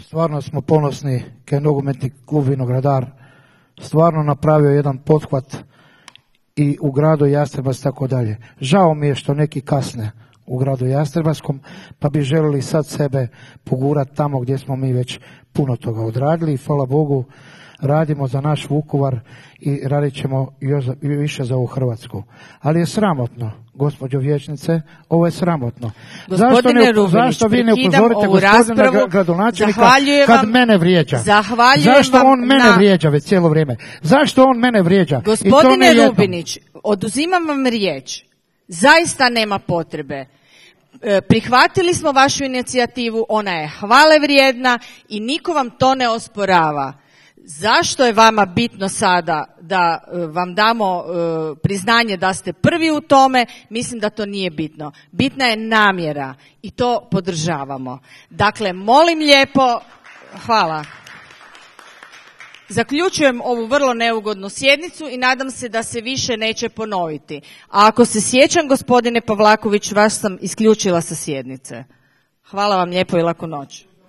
Stvarno smo ponosni kaj je nogometni klub Vinogradar stvarno napravio jedan pothvat i u gradu Jastrebac tako dalje. Žao mi je što neki kasne u gradu Jastrebačkom, pa bi želili sad sebe pogurati tamo gdje smo mi već puno toga odradili i hvala Bogu radimo za naš Vukovar i radit ćemo još više za ovu Hrvatsku. Ali je sramotno, gospođo vijećnice, ovo je sramotno. Zašto vi ne upozorite gospodina gradonačelnika kad mene vrijeđa? Zašto on mene vrijeđa već cijelo vrijeme? Zašto on mene vrijeđa? Gospodine Rubinić, oduzimam vam riječ. Zaista nema potrebe. Prihvatili smo vašu inicijativu, ona je hvale vrijedna i niko vam to ne osporava. Zašto je vama bitno sada da vam damo priznanje da ste prvi u tome? Mislim da to nije bitno. Bitna je namjera i to podržavamo. Dakle, molim lijepo, hvala. Zaključujem ovu vrlo neugodnu sjednicu i nadam se da se više neće ponoviti. A ako se sjećam, gospodine Pavlaković, vas sam isključila sa sjednice. Hvala vam lijepo i laku noć.